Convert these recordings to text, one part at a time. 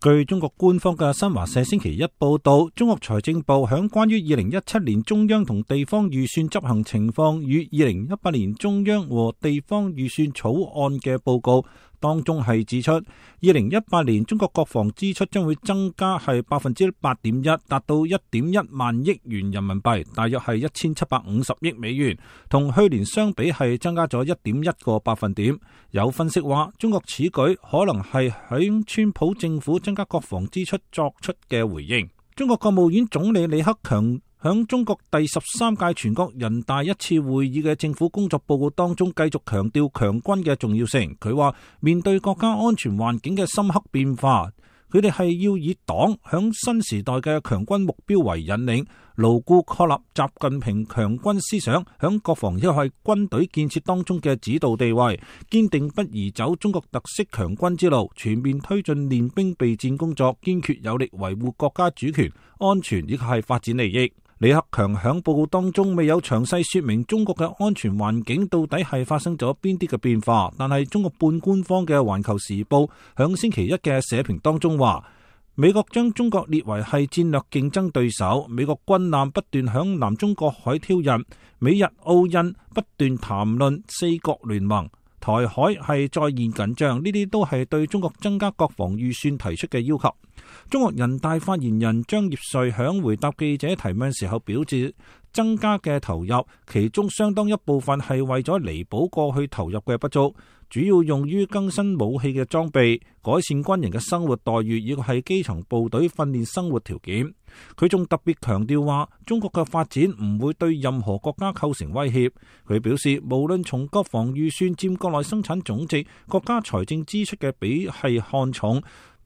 據中國官方嘅新華社星期一報道，中國財政部響關於2017年中央同地方預算執行情況與2018年中央和地方預算草案嘅報告當中係指出，2018年中國國防支出將會增加係8.1%，達到1.1萬億元人民幣，大約係1750億美元，同去年相比係增加咗1.1個百分點。有分析話，中國此舉可能係響川普政府增加國防支出作出嘅回應。中國國務院總理李克強響中國第13屆全國人大一次會議嘅政府工作報告當中，繼續強調強軍嘅重要性。佢話，面對國家安全環境嘅深刻變化，佢哋係要以黨響新時代嘅強軍目標為引領，牢固確立習近平強軍思想響國防以及軍隊建設當中嘅指導地位，堅定不移走中國特色強軍之路，全面推進練兵備戰工作，堅決有力維護國家主權、安全以及係發展利益。李克強響報告當中未有詳細說明中國嘅安全環境到底係發生咗邊啲嘅變化，但係中國半官方嘅環球時報響星期一嘅社評當中話，美國將中國列為係戰略競爭對手，美國軍艦不斷響南中國海挑釁，美日澳印不斷談論四國聯盟，台海係再現緊張，呢啲都係對中國增加國防預算提出嘅要求。中國人大發言人張業遂響回答記者提問時候表示，增加嘅投入，其中相當一部分係為咗彌補過去投入嘅不足，主要用於更新武器嘅裝備，改善軍人嘅生活待遇，以及係基層部隊訓練生活條件。佢仲特別強調話，中國嘅發展唔會對任何國家構成威脅。佢表示，無論從國防預算佔國內生產總值、國家財政支出嘅比係看重，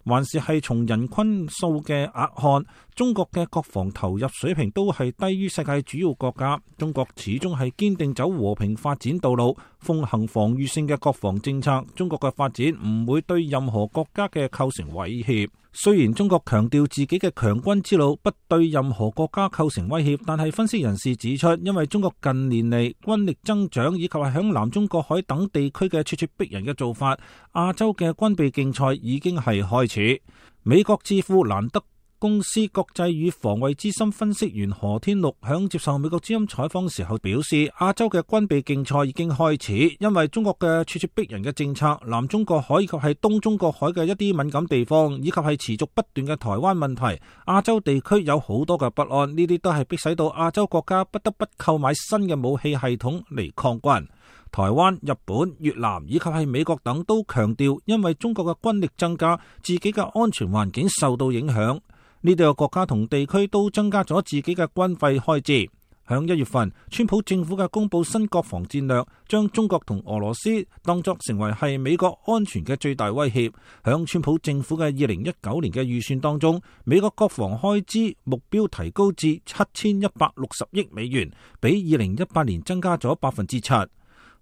還是係從人均數嘅額看，中國嘅國防投入水平都係低於世界主要國家。中國始終係堅定走和平發展道路，奉行防禦性嘅國防政策。中國嘅發展唔會對任何國家嘅構成威脅。雖然中國強調自己嘅強軍之路不對任何國家構成威脅，但係分析人士指出，因為中國近年嚟軍力增長以及係響南中國海等地區嘅咄咄逼人嘅做法，亞洲嘅軍備競賽已經係開始。美國智庫蘭德公司國際與防衛資深分析員何天祿響接受美國之音採訪時候表示，亞洲嘅軍備競賽已經開始，因為中國嘅咄咄逼人嘅政策，南中國海以及係東中國海嘅一啲敏感地方，以及係持續不斷嘅台灣問題，亞洲地區有好多嘅不安，呢啲都係迫使到亞洲國家不得不購買新嘅武器系統嚟抗軍。台灣、日本、越南以及係美國等都強調，因為中國嘅軍力增加，自己嘅安全環境受到影響。呢度嘅國家同地區都增加咗自己嘅軍費開支。響1月份，川普政府嘅公布新國防戰略，將中國同俄羅斯當作成為係美國安全嘅最大威脅。響川普政府嘅2019年嘅預算當中，美國國防開支目標提高至7160億美元，比2018年增加咗7%。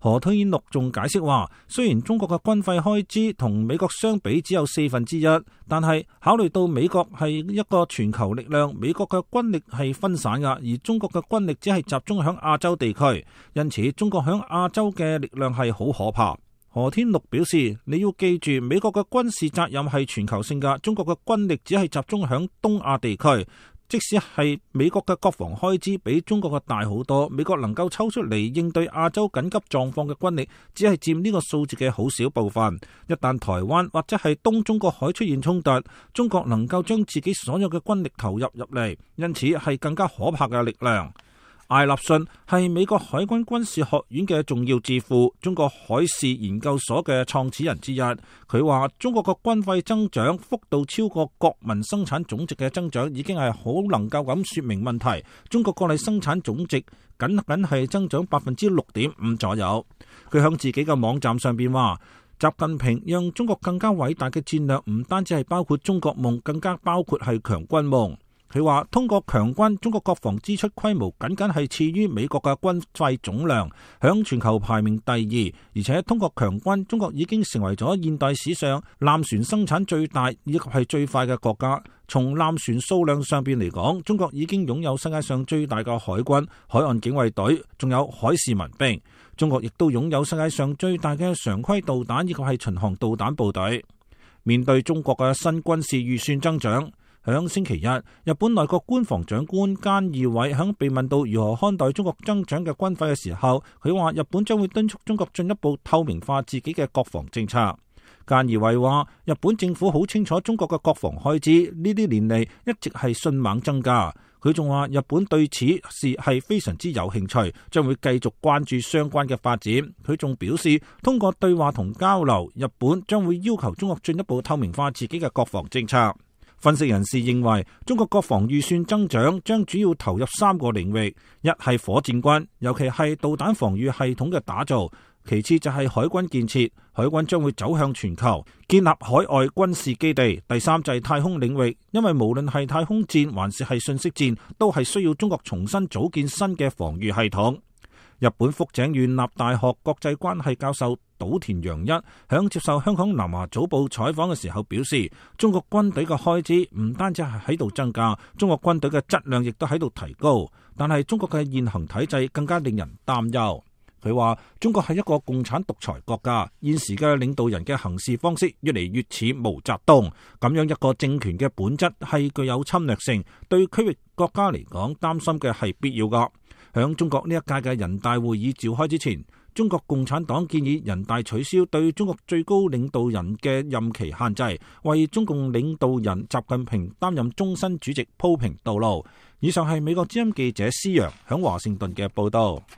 何天祿仲解釋話，雖然中國嘅軍費開支同美國相比只有1/4，但係考慮到美國係一個全球力量，美國嘅軍力係分散㗎，而中國嘅軍力只係集中響亞洲地區，因此中國響亞洲嘅力量係好可怕。何天祿表示，你要記住，美國嘅軍事責任係全球性㗎，中國嘅軍力只係集中響東亞地區。即使係美國嘅國防開支比中國嘅大好多，美國能夠抽出嚟應對亞洲緊急狀況嘅軍力，只係佔呢個數字嘅好少部分。一旦台灣或者係東中國海出現衝突，中國能夠將自己所有嘅軍力投入嚟，因此係更加可怕嘅力量。艾立信係美國海軍軍事學院嘅重要智庫，中國海事研究所嘅創始人之一。佢話中國嘅軍費增長幅度超過國民生產總值嘅增長，已經係好能夠咁說明問題。中國國內生產總值僅係增長6.5%左右。佢向自己嘅網站上邊話，習近平讓中國更加偉大嘅戰略唔單止係包括中國夢，更加包括係強軍夢。佢話通過強軍，中國國防支出規模僅係次於美國嘅軍費總量，響全球排名第2。而且通過強軍，中國已經成為咗現代史上艦船生產最大以及係最快嘅國家。從艦船數量上邊嚟講，中國已經擁有世界上最大嘅海軍、海岸警衛隊，仲有海事民兵。中國亦都擁有世界上最大嘅常規導彈以及係巡航導彈部隊。面對中國嘅新軍事預算增長，響星期一，日本內閣官房長官菅義偉響被問到如何看待中國增長嘅軍費嘅時候，佢話日本將會敦促中國進一步透明化自己嘅國防政策。菅義偉話，日本政府好清楚中國嘅國防開支呢啲年嚟一直係迅猛增加。佢仲話日本對此事係非常之有興趣，將會繼續關注相關嘅發展。佢仲表示，通過對話同交流，日本將會要求中國進一步透明化自己嘅國防政策。分析人士認為，中國國防預算增長將主要投入3個領域，一係火箭軍，尤其係導彈防禦系統嘅打造。其次就係海軍建設，海軍將會走向全球，建立海外軍事基地。第三就係太空領域，因為無論係太空戰還是信息戰，都係需要中國重新組建新嘅防禦系統。日本福井縣立大學國際關係教授島田洋一響接受香港南華早報採訪嘅時候表示，中國軍隊嘅開支唔單止係喺度增加，中國軍隊嘅質量亦都喺度提高，但係中國嘅現行體制更加令人擔憂。佢話中國係一個共產獨裁國家，現時嘅領導人嘅行事方式越嚟越似毛澤東，咁樣一個政權嘅本質係具有侵略性，對區域國家嚟講擔心嘅係必要噶。響中國呢一屆嘅人大會議召開之前，中國共產黨建議人大取消對中國最高領導人嘅任期限制，為中共領導人習近平擔任終身主席鋪平道路。以上係美國之音記者施洋響華盛頓嘅報道。